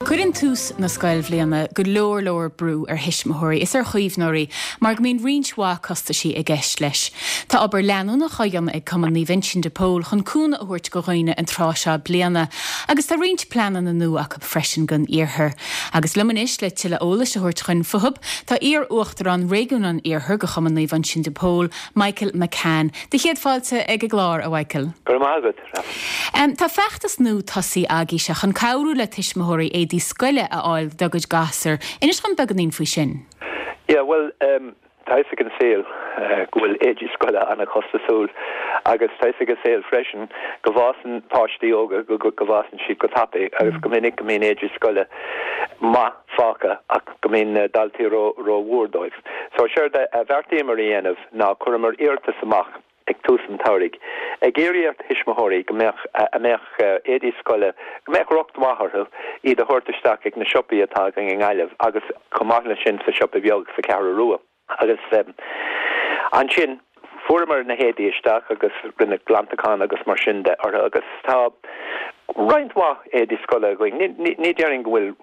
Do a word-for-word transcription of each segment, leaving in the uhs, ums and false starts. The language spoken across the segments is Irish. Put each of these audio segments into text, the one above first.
Cuireann tús na scoilbhliana go leor leor brú ar thuismitheoirí is ar chaomhnóirí mar go mbíonn roinnt mhaith costaisí i gceist leis. Tá obair leanúnach á dhéanamh ag Cumann Naomh Uinseann de Pól chun cúnamh a thabhairt do dhaoine an tráth seo bliana, agus tá roinnt pleananna nua acu freisin don iarthar. Agus liom anois le tuilleadh eolais a thabhairt dúinn fúthu, tá iar-uachtarán réigiún an Iarthair de Chumann Naomh Uinseann de Pól, Michael McCann. Do chéad fáilte ag an gclár a Mhichael. Go maith agat. Um, tá feachtas nua tosaithe agaibhse chun cabhrú le tuismitheoirí éadaí scoile a fháil dá gcuid gasúr. Inis dom beagáinín faoi sin. Yeah, well um, tá ag an saol uh, go bhfuil éadaí scoile an-chostasúil agus tá ag an saol freisin go bhfásann páistí óga go go bhfásann siad go tapaidh agus mm. go minic go mbíonn éadaí scoile maith fágtha ach go mbíonn uh, daltaí ró-mhór dóibh. So séard a bheartaíomar a dhéanamh ná chuireamar iarratas amach ag tús an tsamhraidh. Ag iarraidh ar thuismitheoirí go mbeadh a mbeadh éadaí scoile go mbeadh riocht maith orthu iad a thabhairt isteach ag na siopaí atá againn i nGaillimh agus chomh maith leis sin sa siopa beag sa Cheathrú Rua. Agus um, ansin fuaireamar na héadaí isteach agus rinneadh glantachán agus mar sin de orthu agus tá roinnt mhaith éadaí scoile againn ní déarfainn go bhfuil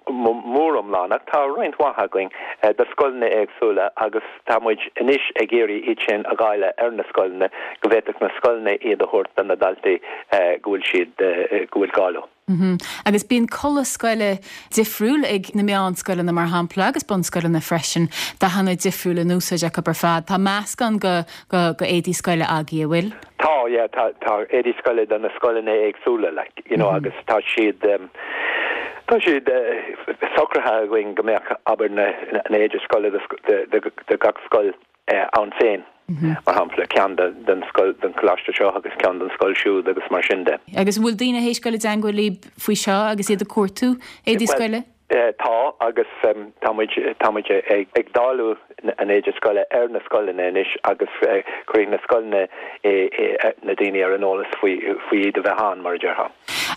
mór iomlán ach tá roinnt mhaith againn eh, do scoileanna éagsúla agus tá muid anois ag iarraidh iad sin a dháileadh ar na scoileanna go bhféadfadh na scoileanna iad a thabhairt do na daltaí eh, go bhfuil siad eh, go bhfuil gá leo. Mm -hmm. Agus bíonn culaith scoile difriúil ag na meánscoileanna mar shampla agus bunscoileanna freisin dathanna difriúla in úsáid acu ar fad. Tá meascán de de de éadaí scoile agaibh an bhfuil? Tá yeah, tá tá éadaí scoile do na scoileanna éagsúla like, you know, mm -hmm. agus tá siad um, Tá siad uh, socraithe againn go mbeadh abair na na éadaí scoile de gach scoil uh, ann féin. Mm -hmm. mar shampla ceann den scoil den choláiste seo agus ceann den scoil siúd agus mar sin de. Agus bhfuil daoine tar éis dul i dteagmháil libh faoi seo agus iad ag cuartú éadaí scoile? Uh, tá agus um, tá ag, ag dáileadh an éadaí scoile ar na scoileanna anois agus uh, cuirfidh na scoileanna e, e, na daoine ar an eolas faoi faoi iad a bheith ann mar a déarfá.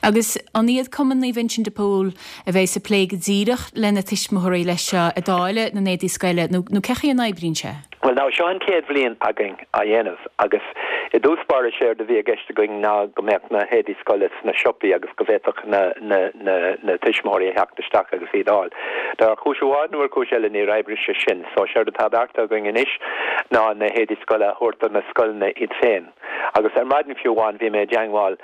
Agus an iad Cumann Naomh Uinseann de Pól a bheidh ag plé go díreach le na tuismitheoirí leis seo ag dáileadh na n-éadaí scoile nó nó cén chaoi a n-oibríonn sé? Well now seo an chéad bhliain againn á dhéanamh agus i dtús báire séard a bhí i gceist againn ná go mbeadh na héadaí scoile sna siopaí agus go bhféadfadh na, na, na, na tuismitheoirí a theacht isteach agus iad a fháil. Dar chúis amháin nó ar chúis eile níor oibrigh sé sin, so séard atá beartaithe againn anois ná na héadaí scoile a thabhairt do na scoileanna iad féin. Agus ar maidin fiú amháin bhí mé i dteagmháil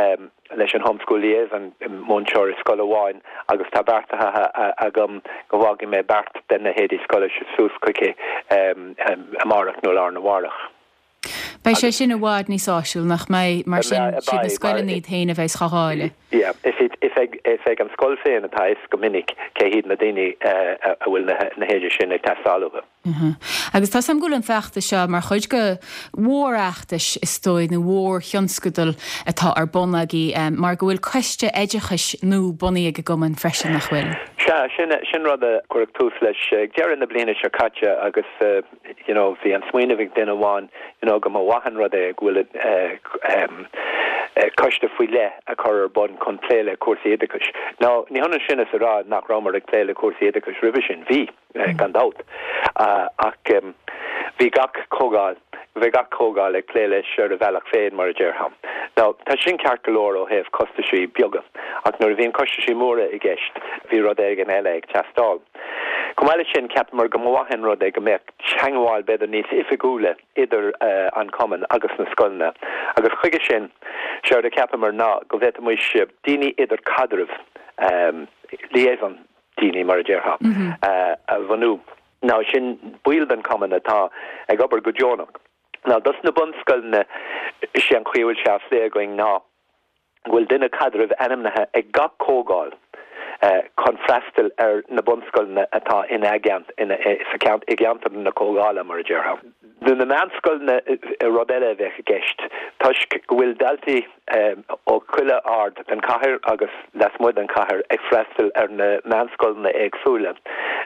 um, leis an homeschool liaison múinteoir i scoil amháin agus tá beartaithe agam go bhfágfaidh mé beart de na héadaí scoile suas chuici um, um, amárach nó lá arna mhárach. Beidh sé sin i bhfad níos áisiúla nach mbeidh mar sin siad na scoileanna iad féin a bheidh á dháileadh. Yeah, is ag is ag an scoil féin atá is go minic cé hiad na daoine uh, a bhfuil na, na héadaí sin ag teastáil uathu. Uh -huh. Agus tá sam ghfuil an feachtas seo mar chuid de mhórfheachtas is dóigh nó mhórthionscadal atá ar bun agaibh um, mar go bhfuil coiste oideachais nua bunaithe ag an gcumann freisin nach bhfuil. Sea sin sin rud a cuireadh tús leis uh, deireadh na bliana seo caite agus uh, you know, bhí an smaoineamh ag duine amháin you know, go mba mhaith an rud é go bhfuil uh, um, uh, coiste faoi leith a chur ar bun chun plé le cúrsaí oideachais. Now ní hionann sin is a rá nach rabhamar ag plé le cúrsaí oideachais roimhe sin bhí uh, gan dabht. Uh, ach um, bhí gach comhdháil bhí gach comhdháil ag plé leis ar a bhealach féin mar a déarfá. Now tá sin ceart go leor ó thaobh costaisí beaga, ach nuair a bhíonn costaisí móra i gceist bhí rud éigin eile ag teastáil. Chomh maith leis sin cheapamar go mba mhaith an rud é go mbeadh teagmháil b'fhéidir níos oifigiúla idir uh, an cumann agus na scoileanna. Agus chuige sin séard a cheapamar ná go bhféadfaimis daoine idirchaidrimh um, liaison daoine mar a déarfá mm -hmm. uh, a bhunú. Now sin baill den cumann atá ag obair go deonach. Now dos na bunscoileanna sé an chaoi a bhfuil sé á phlé againn ná bhfuil duine caidrimh ainmnithe ag gach comhdháil uh, chun freastal ar na bunscoileanna atá ina ina i gceantar na comhdhála mar a déarfá. Do na meánscoileanna rud eile a bheith i gceist toisc go bhfuil daltaí um, ó chuile aird den chathair agus lasmuigh den chathair ag freastal ar na meánscoileanna éagsúla.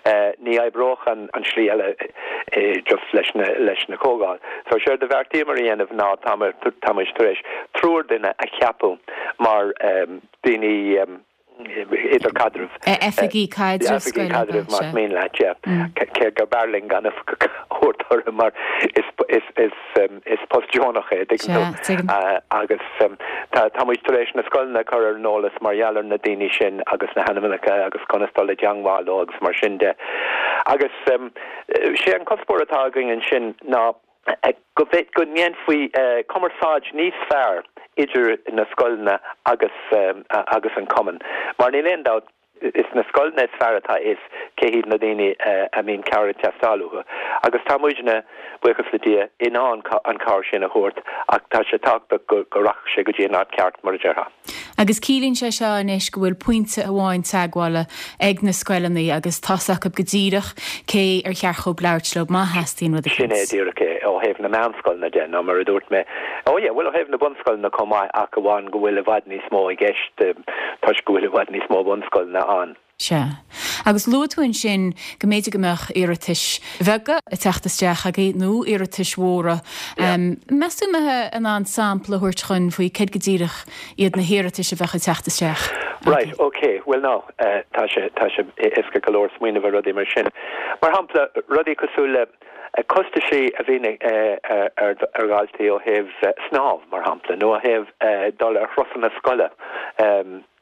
Uh, ní oibreodh an, an slí eile uh, just leis na, leis na comhdháil. So séard a bheartaíomar a dhéanamh ná tá tar éis triúr duine a cheapadh mar um, daoine um, idirchaidrimh. Oifigigh caidrimh scoile. Oifigigh caidrimh más mian leat, yeah. Cé gur b'fhearr linn gan oifigeach a thabhairt orthu mar is is is is post deonach é, tuigeann tú. Agus tá tá muid tar éis na scoileanna a chur ar an eolas mar gheall ar na daoine sin agus na hainmneacha agus conas dul i dteangmháil leo agus mar sin de. Agus sé an cuspóir atá againn ansin ná go go ndéanfaí cumarsáid níos fearr idir na scoileanna agus agus an cumann. Mar níl aon dabht is na scoileanna is fearr atá a fhios cé hiad na daoine a mbíonn cabhair ag teastáil uathu. Agus tá muidne, buíochas le Dia, in ann an cabhair sin a thabhairt ach tá sé tábhachtach go go rachadh sé go dtí an áit ceart, mar a déarfá. Agus ciallaíonn sé seo anois go bhfuil pointe amháin teagmhála ag na scoileanna agus tá's acu go díreach cé ar cheart dhóibh labhairt leo má theastaíonn rud Sin é díreach é ó thaobh na meánscoileanna de nó mar a dúirt mé, ó yeah, bhuel ó thaobh na bunscoileanna chomh maith ach amháin go bhfuil i bhfad níos mó i gceist toisc go bhfuil i bhfad níos mó bunscoileanna ann. Sea. Agus luaigh tú ansin go mb'fhéidir go mbeadh iarratais bheaga ag teacht isteach agaibh nó iarratais mhóra. Meas tú an mbeifeá in ann sampla a thabhairt dhúinn faoi céard go díreach iad na hiarratais a bheadh ag teacht isteach agaibh? Right, ok. Bhuel now, tá sé, tá sé éasca go leor smaoineamh ar rudaí mar sin. Mar shampla, rudaí cosúil le costaisí a bhíonn ar dhaltaí ó thaobh snámh, mar shampla, nó ó thaobh dul ar thurasanna scoile.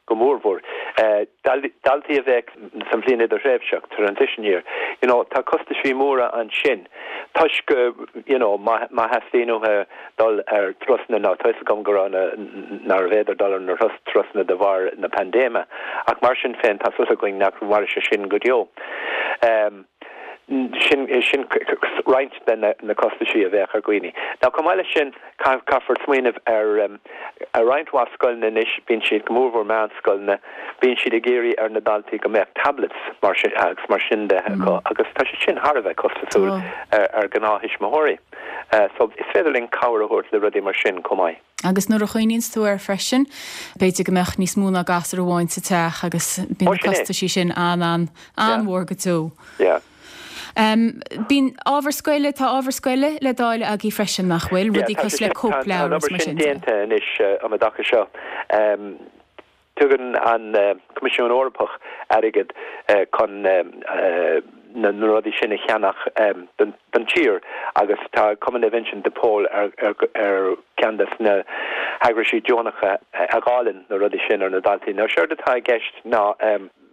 go mórmhór. Daltaí a bheadh sa bhliain idirthréimhseach, transition year, you know, tá costaisí móra ansin toisc go, you know, má má theastaíonn uathu dul ar turasanna, now tá 'fhios agam go raibh na, nárbh fhéidir dul ar na turasanna de bharr na paindéime, ach mar sin féin tá súil againn nach mairfidh sé sin go deo. Sin sin roinnt de na costaisí a bheadh ar dhaoine. Now chomh maith leis sin, caithfear smaoineamh ar ar roinnt mhaith scoileanna anois, bíonn siad, go mórmhór meánscoileanna, bíonn siad ag iarraidh ar na daltaí go mbeadh tablets mar sin agus mar sin de acu agus tá sé sin thar a bheith costasúil ar ar ghnáth-thuismitheoirí. So is féidir linn cabhair a thabhairt le rudaí mar sin chomh maith. Agus nuair a chuimhníonns tú air freisin, b'fhéidir go mbeadh níos mó ná gasúr amháin sa teach agus bíonn na costaisí sin an-an-mhór go deo. Yeah. Bíonn ábhar scoile, tá ábhar scoile le dáileadh agaibh freisin, nach bhfuil? Rudaí cosúil le cóipleabhair is mar sin de. Tá an obair sin déanta anois um an dtaca seo. Tugann an Coimisiún Eorpach airgead chun na rudaí sin a cheannach don tír agus tá Cumann Naomh Uinseann de Pól ar cheann de na heagraisí deonacha a dháileann na rudaí sin ar na daltaí. Now séard atá i gceist ná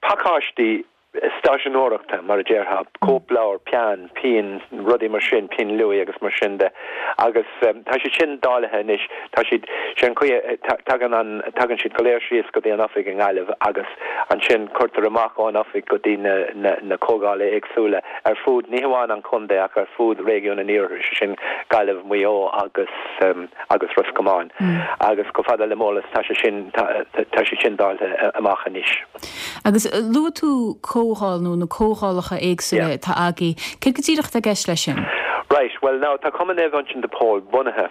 pacáistí stáiseanóireachta, mar a déarfá, cóipleabhar, peann, pinn, rudaí mar sin, pinn luaidhe agus mar sin de. Agus tá siad sin dáilithe anois, tá siad, sé an chaoi a, tagann an, tagann siad go léir síos go dtí an oifig i nGaillimh agus ansin cuirtear amach ón oifig go dtí na, na, na comhdhála éagsúla ar fud, ní hamháin an chontae ach ar fud réigiún an Iarthair, sé sin Gaillimh, Maigh Eo agus, agus Ros Comáin. Agus chomh fada le m'eolas tá sé sin, tá, tá siad sin dáilte amach anois. Agus luaigh tú comhdháil nó na comhdhálacha éagsúla atá agaibh. Céard go díreach atá i gceist leis sin? Right, well now tá Cumann Naomh Uinseann de Pól bunaithe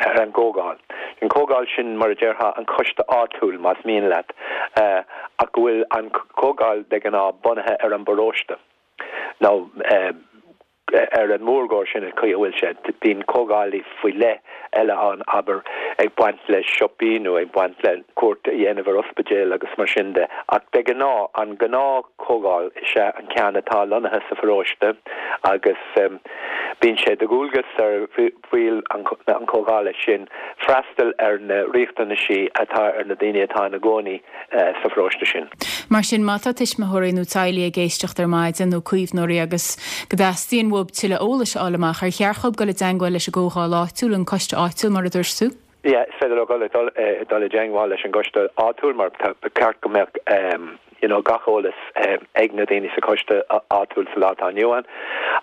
ar an gcomhdháil. An comhdháil sin mar a déarfá an coiste áitiúil más mian leat ach go bhfuil an comhdháil de ghnáth bunaithe ar an bparóiste. Now ar an mórgóir sin an chaoi a bhfuil sé. Bíonn comhdhálaí faoi leith eile ann, abair, ag baint le siopaí nó ag baint le cuairt a dhéanamh ar ospidéal agus mar sin de. Ach de ghnáth, an ghnáth-chomhdháil is ea an ceann atá lonnaithe sa pharóiste agus bíonn sé de dhualgas ar bhaill an chomhdhála sin freastal ar na riachtanaisí atá ar na daoine atá ina gcónaí sa pharóiste sin. Mar sin, má tá tuismitheoirí nó teaghlaigh ag éisteacht ar maidin nó caomhnóirí agus go dteastaíonn uathu tuilleadh eolais a fháil amach, ar cheart dhóibh dul i dteangmháil leis an gcomhdháil áitiúil, an coiste áitiúil mar a dúirt tú? Yeah, is féidir leo dul dul i dteangmháil leis an gcoiste áitiúil mar ba cheart go mbeadh you know gach eolas ag na daoine sa choiste áitiúil sa lá atá inniu ann.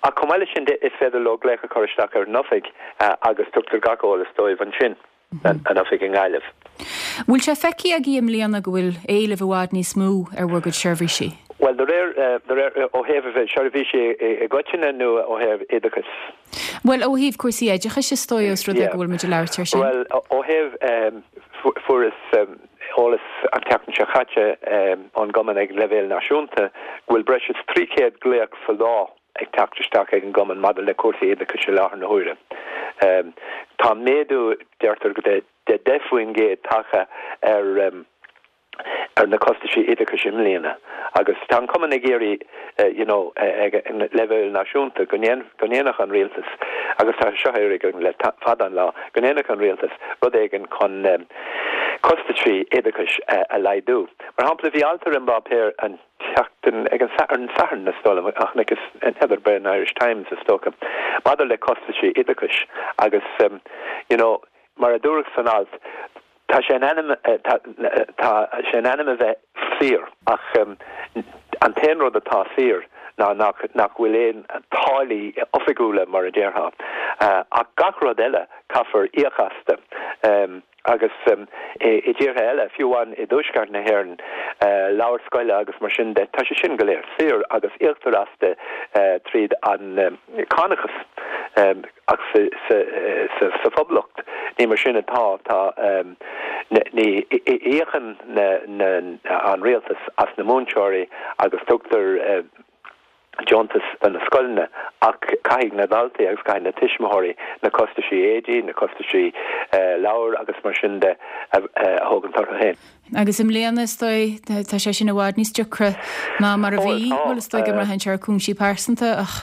Ach chomh maith leis sin de, is féidir leo glaoch a chur isteach ar an oifig agus tugtar gach eolas dóibh ansin. an oifig i nGaillimh. Bhfuil sé feicthe agaibh i mbliana go bhfuil éileamh i bhfad níos mó ar bhur gcuid seirbhísí? Bhuel, de réir, de réir, ó thaobh seirbhísí i gcoitinne nó ó thaobh oideachais? Bhuel, ó thaobh cúrsaí oideachais is dóigh os rud é go bhfuil muid ag labhairt air sin. Bhuel, ó thaobh, fuaireas eolas an tseachtain seo caite ón gcumann ag leibhéal náisiúnta go bhfuil breis is trí chéad glaoch sa lá ag teacht isteach ag an gcumann maidir le cúrsaí oideachais i láthair na huaire. Tá méadú, deirtear, de deich faoin gcéad tagtha ar ar na costaisí oideachais i mbliana agus tá an cumann ag iarraidh you know ag an leibhéal náisiúnta go go ndéanfadh an rialtas agus tá seo á iarraidh le fada an lá go ndéanfadh an rialtas rud éigin chun costaisí oideachais a laghdú. Mar shampla bhí alt ar an bpáipéar an tseachtain ag an Satharn Satharn is dóigh liom ach agus n'fheadar b'é an Irish Times is dócha maidir le costaisí oideachais agus um, you know mar a dúradh san alt tá sé in ainm tá sé in ainm a bheith saor ach um, an t-aon rud atá saor ná nach nach bhfuil aon táillí oifigiúla mar a déarfá uh, ach gach rud eile caithfear íoc astu um, agus um, i, i dtíortha eile fiú amháin i dtuaisceart na hÉireann uh, leabhair scoile agus mar sin de tá sé sin go léir saor agus íoctar astu uh, tríd an um, cánachas um, ach sa, sa, sa, sa Phoblacht ní mar sin atá tá um, ní íocann na, na, an rialtas as na múinteoirí agus tugtar uh, deontas do na scoileanna ach caithfidh na daltaí agus caithfidh na tuismitheoirí na costaisí éadaí, na costaisí uh, leabhar agus mar sin de a thógaint orthu féin. Agus i mbliana is dóigh tá sé sin i bhfad níos deacra ná mar a bhí bhuel is dóigh go mbraitheann sé ar chúinsí pearsanta ach.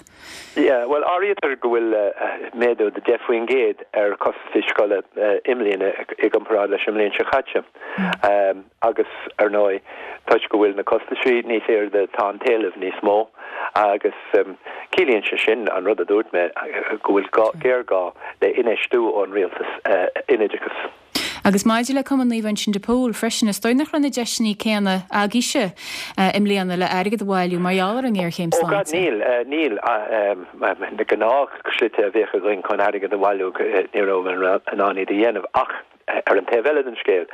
Yeah, well áirítear go bhfuil uh, méadú de deich faoin gcéad ar costaisí scoile uh, i mbliana i gcomparáid leis an mbliain seo caite. Mm. Um, agus ar ndóigh toisc go bhfuil na costaisí níos airde tá an t-éileamh níos mó agus um, ciallaíonn sé sin an rud a dúirt mé go bhfuil géarghá le infheistiú ón rialtas uh, in oideachas. Agus maidir le Cumann Naomh Uinseann de Pól freisin is dóigh nach raibh na deiseanna céanna agaibhse uh, i mbliana le airgead a bhailiú mar gheall ar an ngéarchéim sláinte. Níl níl na gnáthshlite a bheadh againn chun airgead a bhailiú ní raibh in ann iad a dhéanamh ach ar an taobh eile den scéal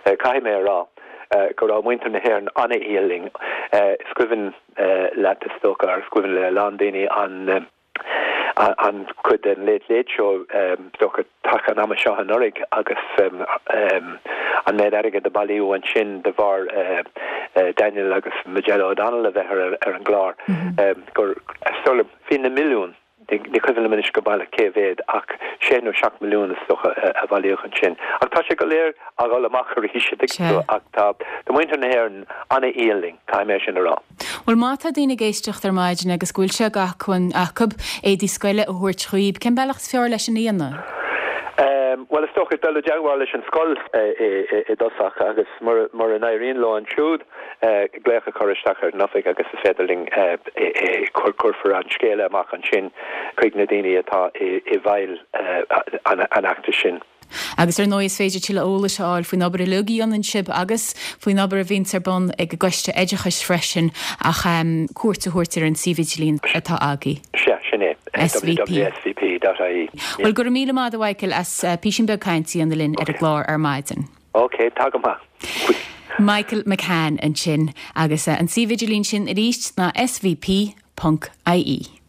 caithfidh mé a rá go raibh muintir na hÉireann an-fhial linn. Is cuimhin leat is dócha is cuimhin le lán daoine an an chuid den Late Late Show dócha taca an ama seo anuraidh agus um, um, an méid airgid a bailíodh ansin de bharr uh, uh, Daniel agus Majella O'Donnell a bheith ar, ar an gclár mm -hmm. um, gur bhí na milliún ní cuimhin liom anois go baileach cé mhéad ach sé nó seacht milliún is dócha a bailíodh ansin. Ach tá sé go léir ag dul amach arís ach tá de muintir na hÉireann an-fhial linn caithfidh mé sin a rá. Well má tá daoine ag éisteacht ar maidin agus go bhfuil sé d'acmhainn acu éadaí scoile a thabhairt chugaibh, cén bealach is fearr leis sin a dhéanamh? Um, well is dócha dul i dteagmháil leis an scoil i dtosach agus mura n-éiríonn leo ansiúd glaoch a chur isteach ar an oifig agus is féidir linn cuirfear an scéala amach ansin chuig na daoine atá i bhfeighil an fheachtais sin. Agus ar ndóigh is féidir tuilleadh eolais a fháil faoin obair uilig a dhéanann sibh agus faoin obair a bhíonn ar bun ag an gcoiste oideachais freisin ach um, cuairt a thabhairt ar an suíomh idirlín atá agaibh. Sea sin é www.svp.ie. Well go raibh míle maith agat a Mhichael as uh, píosa beag cainte a dhéanamh linn ar an gclár ar maidin. Ok, tá go maith. Michael McCann ansin agus uh, an suíomh idirlín sin arís ná svp.ie.